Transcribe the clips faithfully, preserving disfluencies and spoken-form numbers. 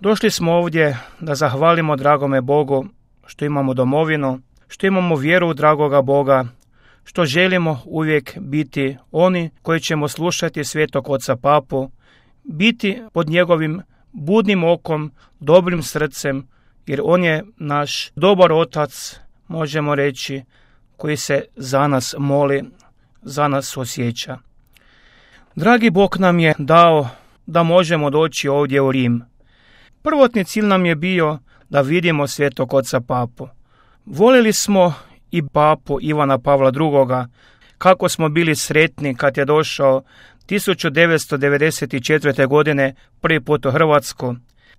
Došli smo ovdje da zahvalimo dragome Bogu što imamo domovinu, što imamo vjeru u dragoga Boga, što želimo uvijek biti oni koji ćemo slušati svetog oca papu, biti pod njegovim budnim okom, dobrim srcem, jer on je naš dobar otac, možemo reći, koji se za nas moli, za nas osjeća. Dragi Bog nam je dao da možemo doći ovdje u Rim. Prvotni cilj nam je bio da vidimo svetog oca papu. Volili smo i papu Ivana Pavla drugoga, kako smo bili sretni kad je došao tisuću devetsto devedeset četvrte. godine prvi put u Hrvatsku.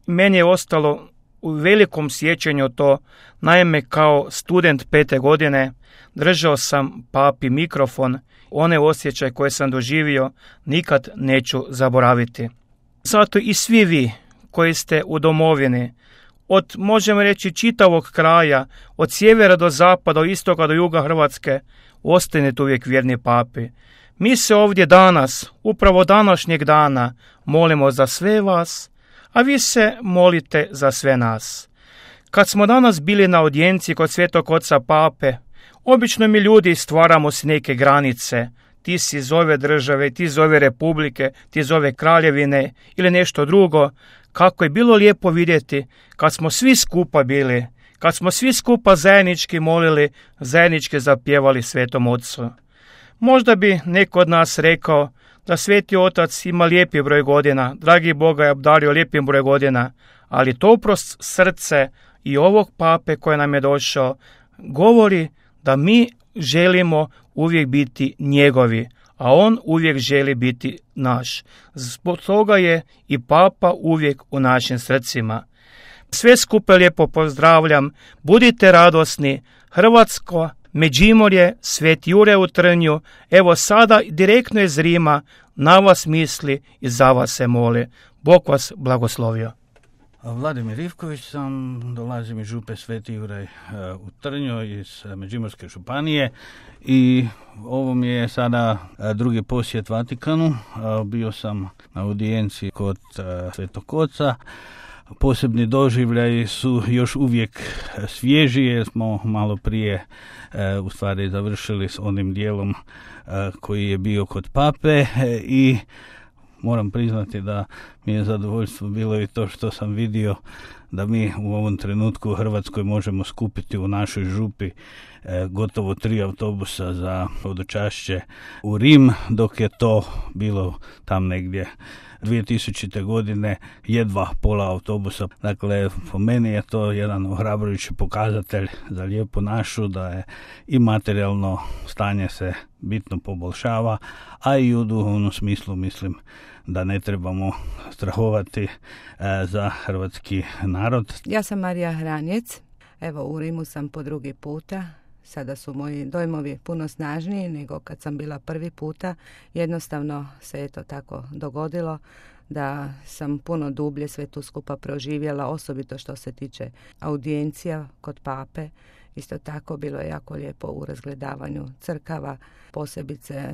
Meni je ostalo u velikom sjećanju to, naime kao student pete godine držao sam papi mikrofon, one osjećaj koje sam doživio nikad neću zaboraviti. Zato i svi vi koji ste u domovini, od, možemo reći, čitavog kraja, od sjevera do zapada, od istoka do juga Hrvatske, ostanite uvijek vjerni papi. Mi se ovdje danas, upravo današnjeg dana, molimo za sve vas, a vi se molite za sve nas. Kad smo danas bili na audijenciji kod svetog oca pape, obično mi ljudi stvaramo si neke granice. Ti si iz ove države, ti iz ove republike, ti iz ove kraljevine ili nešto drugo. Kako je bilo lijepo vidjeti kad smo svi skupa bili, kad smo svi skupa zajednički molili, zajednički zapjevali svetom ocu. Možda bi neko od nas rekao da sveti otac ima lijepi broj godina, dragi Boga je obdario lijepim broj godina, ali toprost srce i ovog pape koji nam je došao govori da mi želimo uvijek biti njegovi, a on uvijek želi biti naš. Zbog toga je i papa uvijek u našim srcima. Sve skupe lijepo pozdravljam, budite radosni, Hrvatsko, Međimurje, Sveti Juraj u Trnju, evo sada direktno iz Rima na vas misli i za vas se moli. Bog vas blagoslovio. Vladimir Ivković sam, dolazim iz župe Sveti Juraj u Trnju iz Međimurske županije i ovo mi je sada drugi posjet Vatikanu. Bio sam na audijenciji kod svetog oca. Posebni doživljaji su još uvijek svježi jer smo malo prije u stvari završili s onim dijelom koji je bio kod pape i moram priznati da mi je zadovoljstvo bilo i to što sam vidio da mi u ovom trenutku u Hrvatskoj možemo skupiti u našoj župi e, gotovo tri autobusa za hodočašće u Rim, dok je to bilo tam negdje dvije tisućite. godine jedva pola autobusa. Dakle, po meni je to jedan ohrabrujući pokazatelj za lijepu našu, da je i materijalno stanje se bitno poboljšava, a i u duhovnom smislu mislim da ne trebamo strahovati e, za hrvatski narod. Ja sam Marija Hranjec, evo u Rimu sam po drugi puta. Sada su moji dojmovi puno snažniji nego kad sam bila prvi puta. Jednostavno se je to tako dogodilo da sam puno dublje sve tu skupa proživjela, osobito što se tiče audijencija kod pape. Isto tako bilo je jako lijepo u razgledavanju crkava, posebice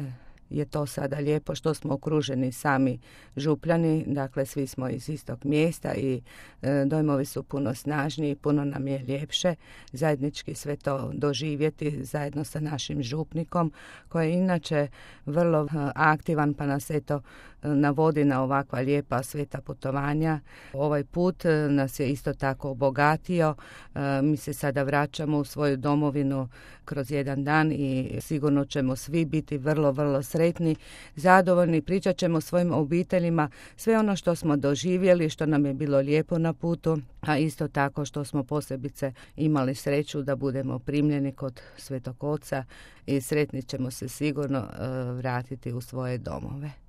je to sada lijepo što smo okruženi sami župljani, dakle svi smo iz istog mjesta i e, dojmovi su puno snažniji, puno nam je ljepše zajednički sve to doživjeti zajedno sa našim župnikom koji je inače vrlo e, aktivan pa nas eto e, navodi na ovakva lijepa sveta putovanja. Ovaj put e, nas je isto tako obogatio, e, mi se sada vraćamo u svoju domovinu kroz jedan dan i sigurno ćemo svi biti vrlo, vrlo sretni, zadovoljni, pričat ćemo svojim obiteljima sve ono što smo doživjeli, što nam je bilo lijepo na putu, a isto tako što smo posebice imali sreću da budemo primljeni kod Svetog Oca i sretni ćemo se sigurno uh, vratiti u svoje domove.